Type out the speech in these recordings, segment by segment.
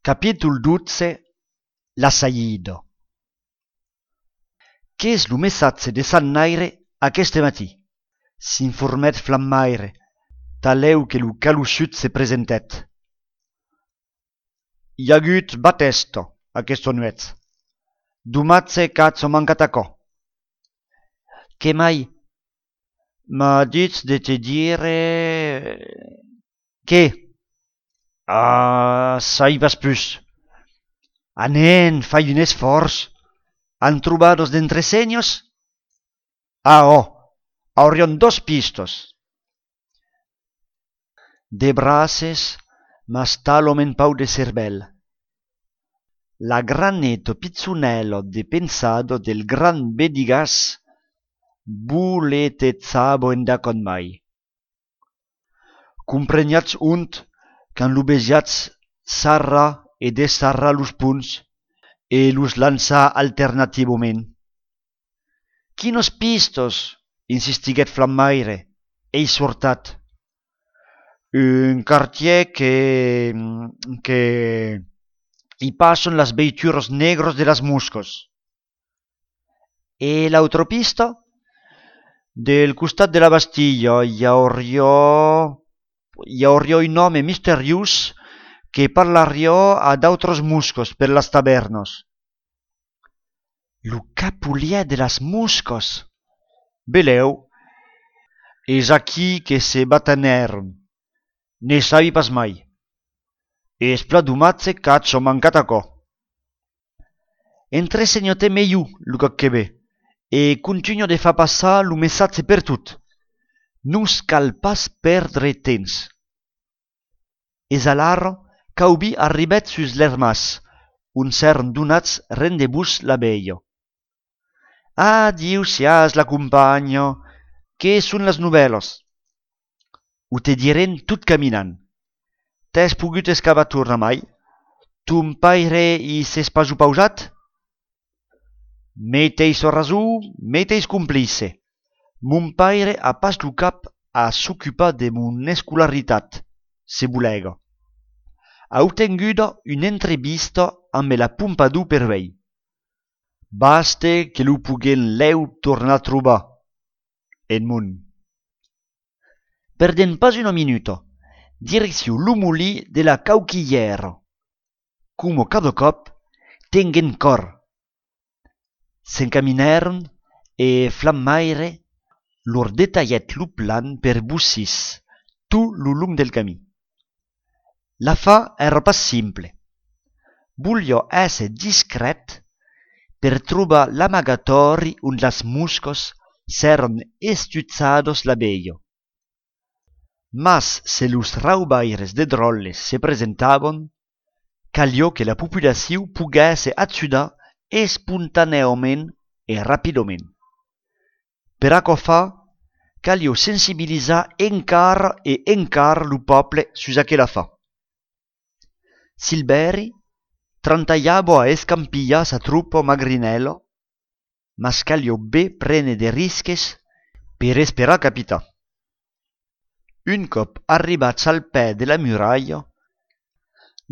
Capítol 12. La saïda. Qu'és lo messatge de Sant Naire aqueste matí? S'informèt Flammaire, talèu que lo calussut se presentèt. I ha agut batesta aquesta nuet. Domatze qu'atz mancat aquò. Que mai? M'ha dit de te dire... Que? Saibas pus. Anen, fai un esforç. Han trobados d'entre senyos? Aurion 2 pistos. De braces, m'astalom en pau de cervel. La graneto pizzunello de pensado del gran Bedigas buletezzabo enda con mai. Compreniatz unt can lo besiatz sarra e desarra los punts e los lança alternativament. Quinos pistos? Insistiguèt Flammaire, ei sortat. Un quartier que hi passen las veituros negros de las muscos. E l'autopista? Del costat de la Bastilla hi hauria un home misteriós que parlaria a d'autres muscos per las tavernos. Lo capulier de las muscos. Beleu, és aquí que se batanèron. Ne sabi pas mai. Es pla domatze qu'atz mancat aquò. Entresenyote meiu lo que ve, e continuo de fa passar lo messatge per tot. Nos cal pas perdre temps. Es alarro qu'aubi arribèt sus l'ermas, on s'èrn donats rendebús la veia. Adiu sias la compagna, que son las novelas? Ho te diren tot caminant. T'has pogut escavar tornar mai? Ton paire i s'es pas pausat? Meteis raso, meteis complice. Mon paire a pas lo cap a s'ocupar de mon escolaritat, se volega. Ha obtenguda una entrevista amb la Pompadour per vei. Baste que lo puguen leu tornar a trobar. En mon. Perden pas una minuta. Direcció lo molí de la Cauquillera. Como cada cop, tengen cor. S'encaminèron e Flammaire lor detalhèt lo plan per bussis tot lo long del camí. La fa era pas simple. Volia èsser discret per trobar l'amagatori on las muscos s'èran estuzzados la veia. Mas se los raubaires de drolles se presentavan, calia que la populació poguèsse ajudar espontaneament e rapidament. Per aquò fa, calia sensibilizar encara e encara lo poble sus aquela fa. Silveri trantaiava a escampillar sa truppa magrinela, mas calia be prene de risques per esperar capitar. Un cop arribats al pè de la muralla,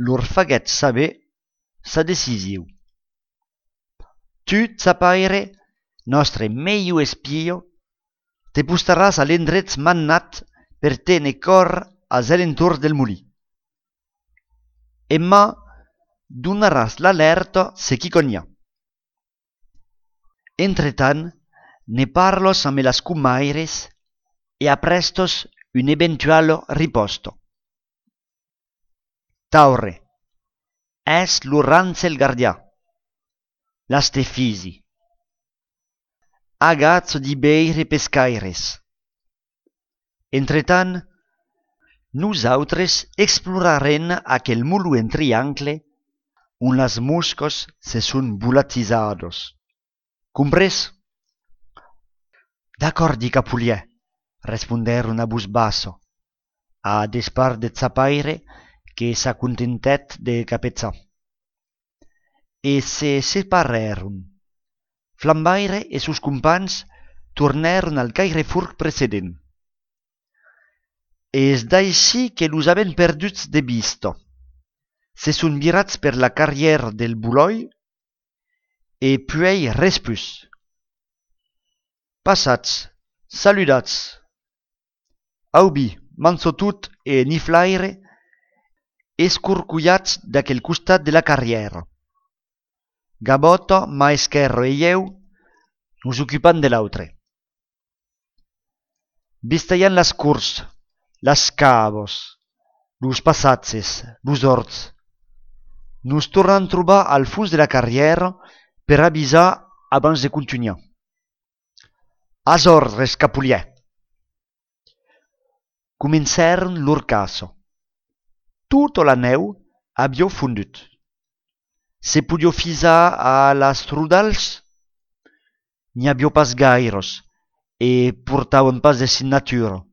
lor faguèt saber sa decisió. Tu, Tzapaire, nostre meiu espio, te postaràs a l'endret mannat per tene cor als alentorns del molí. Emma donaràs l'alerta se qui conha. Entretant, ne parlos amb las cumaires e aprestos un eventual riposto. Taure, es lo Ransel Gardià. Las te fisi. Agazzo di beire pescaires. Entretant, nosaltres explorarem aquel mulu en triangle on las muscos se son volatilizados. Compres? D'accordi, capulier, responderon a voz basso, a despart de Tzapaire que s'acontentèt de capetzar. E se separèron. Flammaire e sus companys tornèron al Cairefurc precedent. És d'així que los havent perduts de vista. se son virats per la carrière del Buloi e puei res plus. Passats, saludats. Aubi, manso tot e niflaire, escurcullats d'aquel costat de la carrière. Gaboto, Maescherro e eu nos ocupant de l'autre. Vistaian las curs, las cavos, los passatges, los horts. Nos tornam trobar al fons de la carrière per avisar abans de continuar. As ordres, Capulier. Comencèron lor caso. Tota la neu avió fondut. Se podio fisar a las trudals? N'hi avió pas gairos e portaven pas de signatura.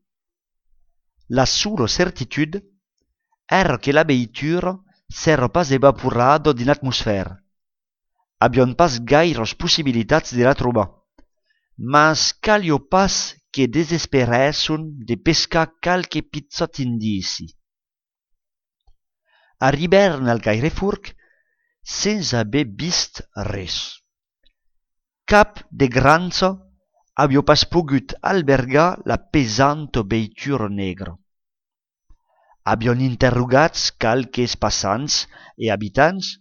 La sola certitude era que la veitura s'era pas evaporado din l'atmosfera. Avion pas gairos possibilitats de la trobar, mas calio pas que desesperesson de pescar calque pizzot indici. Arribèron al Gairefurc sense haver vist res. Cap de granzo avió pas pogut albergar la pesanta veitura negra. Avion interrogats calques passants e habitants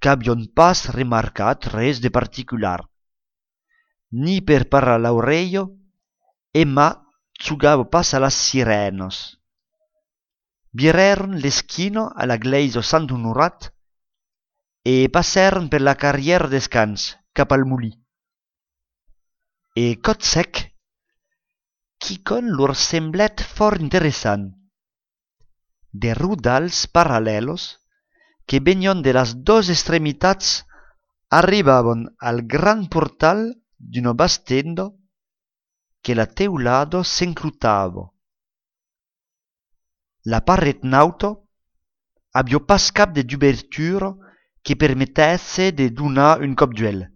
qu'avion pas remarcat res de particular. Ni per parar l'aureio, Emma jugava pas a las sirenos. Virèron l'esquina a la gleisa Sant Honorat e passèron per la carrière descans cap al molí. E cot sec, quicon lor semblèt fort interessant. De rudals parallelos que venion de las dos extremitats arribavan al gran portal d'una bastenda que la teulado s'enclutava. La paret nauta avió pas cap d'obertura que permetesse de donar un cop d'uel.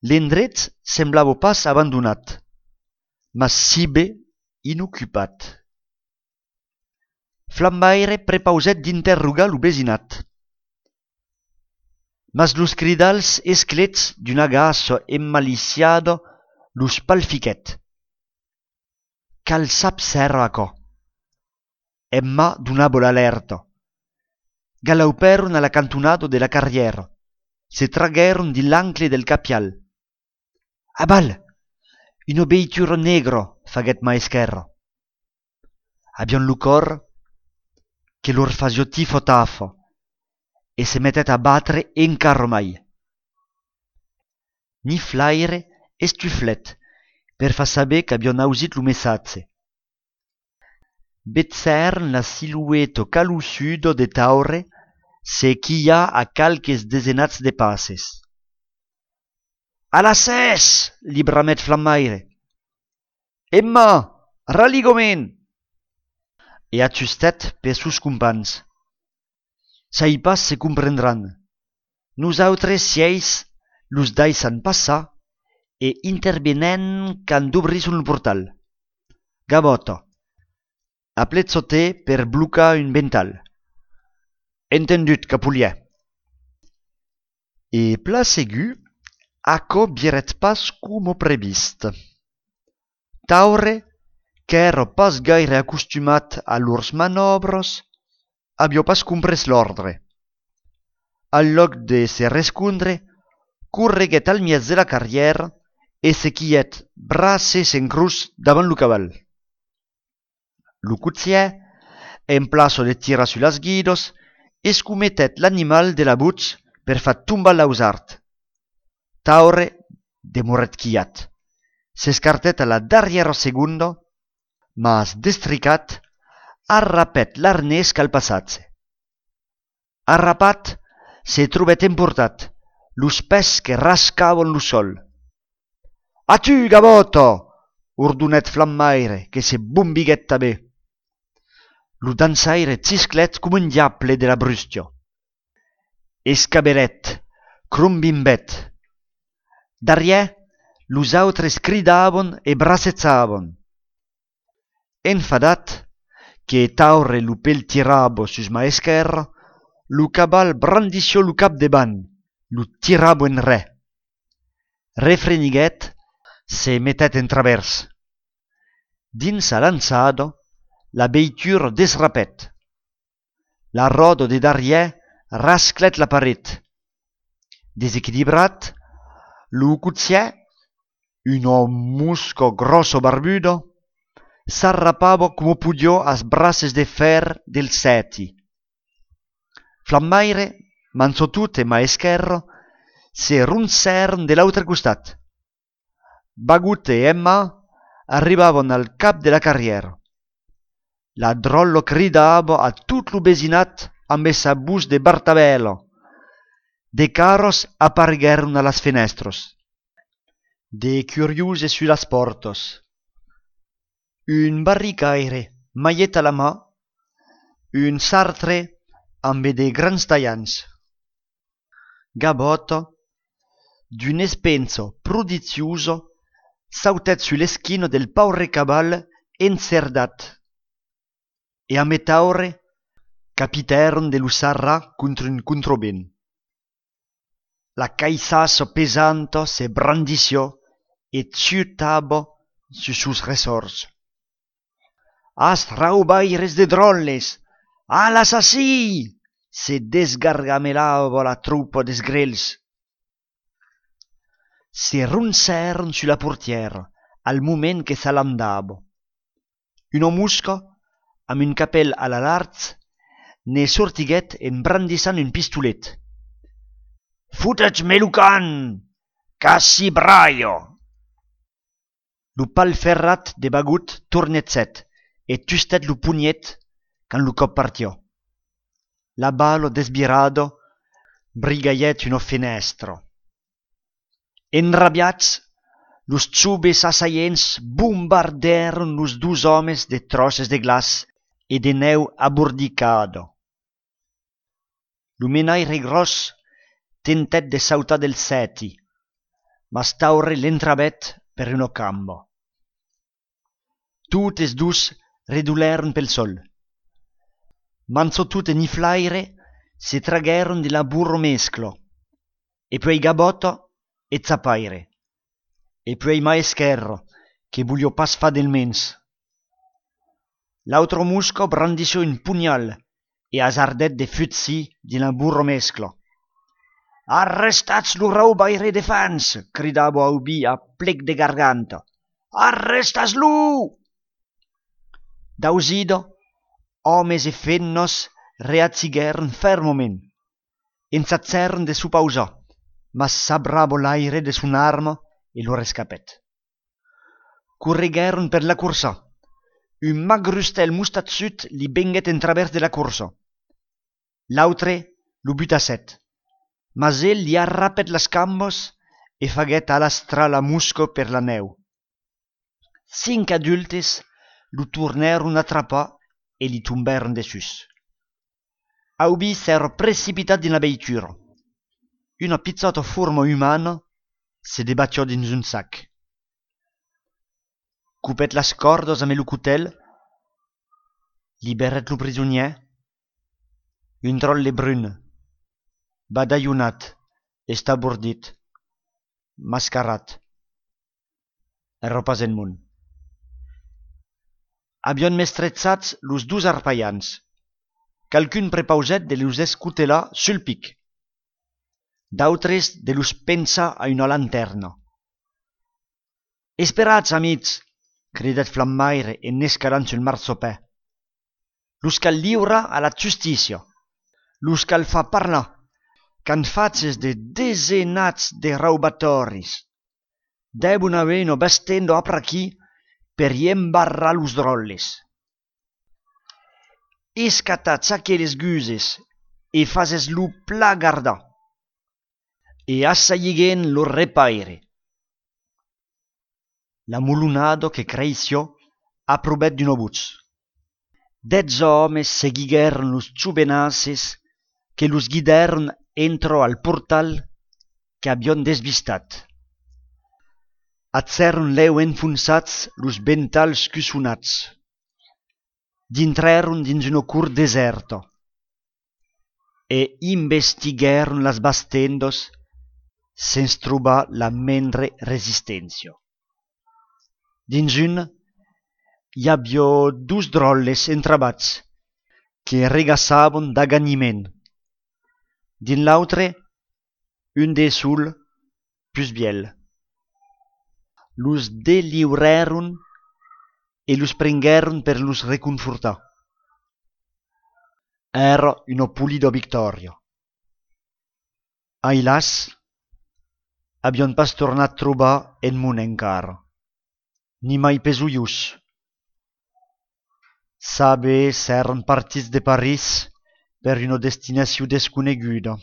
L'endret semblava pas abandonat, mas si bé inocupat. Flammaire prepausèt d'interrogar lo vesinat. Mas los cridals esclets d'un agaço emmaliciado los palfiquèt. Cal sap s'era aquò. Emma donava l'alerta. Galauperon a la cantonada de la carriera. Se tragueron di l'ancle del capial. Abal! Una veitura negra, faguèt Maescherro. Avion lo cor que lor fasio tifo tafo e se mettet a batre encara mai. Niflaire estuflet per fa saber qu'avion ausit lo messatge. Betzèron la silueta calussuda de Taure se quia a calques desenats de passes. A la ses! Li bramet Flammaire. Emma, raligoment! E ajustet per sus compans. Sai pas se comprendran. Nosaltres sieis los daissan passar e intervenen can d'obrisson el portal. Gaboto. Apletzoté per blocar un vental. Entendut, Capulier. E pla segu, aquò viret pas como previst. Taure, qu'èra pas gaire acostumat a lors manobres, avió pas comprès l'ordre. Al loc de se rescondre, correguèt al mièz de la carrière e se quièt braces en cruz davant lo cabal. Lo coutier, en plaço de tirar sur las guidos, escumetèt l'animal de la butx per fa tombar l'ausart. Taure demorèt quiat. S'escartèt a la darrièra segunda, mas destricat, arrapèt l'arnès cal passatge. Arrapat, se trobèt emportat, los pès que rascaven lo sol. A tu, Gaboto! Ordonèt Flammaire, que se bombiguèt tanben. Lo dansaire cisclèt com un diable de la brustia. Escabelèt, crombimbèt. Darrièr, los autres cridaven e bracetzaven. Enfadat, que taure lu pel tirabo sus ma esquerra, lu cabal brandició lu cap deban, lu tirabo en re. Refreniguet, se metet en travers. Dins a lançado, la veitura desrapet. La roda de darrière rasclet la paret. Desequilibrat, lu cutier, un musco grosso barbudo, s'arrapava come pudiò as braces de fer del seti. Flammaire, manzotut e ma esquerro, se runzèron de l'autre costat. Bagut e Emma arribavan al cap de la carriera. La drollo cridava a tot lo besinat amb essa bus de Bartabello. De carros apariguèron a las fenestros. De curiose su las portos. Un barricaire, maiet a la mà, un sartre amb de grans tallants. Gabotto, d'un espenso prodizioso, sautet su l'eschino del paure cabal encerdat, e a metaure capiteron de l'usarra contro un controben. La caisasso pesanto se brandició et ciutabo su sus resors. As raubaires de drolles, a l'assassí! Se desgargamelava la truppa des grels. Se runzèron su la portiera al moment que s'alandava. Un musco, amb un capell a la larz, ne sortiguet en brandissant un pistolet. Futetz-me lo can! Cassi braio! Lo pal ferrat de Bagut tornet set, et tustet lo pugnet quand lo cop partió. La balo desbirado brigaiet uno fenestro. Enrabiats, los zubes assaients bombardèron los dus homes de troces de glaç e de neu abordicado. Lo menaire gros tentet de sautar del seti, mas taure l'entrabet per uno cambo. Totes dus redulèron pel sol. Manzotut e Niflaire se traguèron de la burro mesclo, e poi Gabotto e Zapaire, e poi ma esquerro, che vogliò pas fa del mens. L'altro musco brandició un pugnal e hasardet de futsi de la burro mesclo. Arrestats lo raubaire de fans, cridava Aubi a plec de garganta. Arrestas-lo! Dausido, homes e fennos reazziguèron fermament. Ensatzèron de su pausar, mas s'abravo l'aire de son arma e lo rescapet. Corriguèron per la cursa. Un magrustel mustazzut li benguet en travers de la cursa. L'autre lo butasset, mas el li arrapet las cambos e faguet alastrar la musco per la neu. 5 adultes lo tornèron atrapar e li tombèron dessus. Aubi s'era precipitat din la veitura. Una pizzata forma umana se debattió dins un sac. Coupet las cordas amb lo cutel, liberet lo prisonier, un drolle brun, badaillonat, estabordit, mascarat. Era pas en món. Avion mestretzats los dus arpaians. Calcun prepauset de los escutelar sul pic. D'autres de los pensa a una lanterna. Esperats, amics, cridet Flammaire en escalant sul marsopè. Los cal liura a la justícia. Los cal fa parlar, can faces de desenats de raubatoris. Debun aveno bestendo apraqui per imbarrar los drolles. Escatats aquelles guses e fases lo pla gardar. E assailliguen lo repaire. La mulunado que creició aprobet d'un obuts. 10 homes seguiguèron los chubenaces que los guidèron entro al portal que avion desvistat. Atzèron leu enfonsats los ventals cusonats. Dintreron dins uno curt deserto e investiguèron las bastendos sens trobar la mendre resistèncio. Dins un i aviò dus dròlles entrabats que regassavon d'aganiment. Din l'autre, un de sul plus biel. Los deliurèron e los prenguèron per los reconfortar. Era uno pulido victorio. Ailas, avion pas tornat trobar en mon encara, ni mai pesuius. Sabe s'èran partits de París per una destinació desconeguda.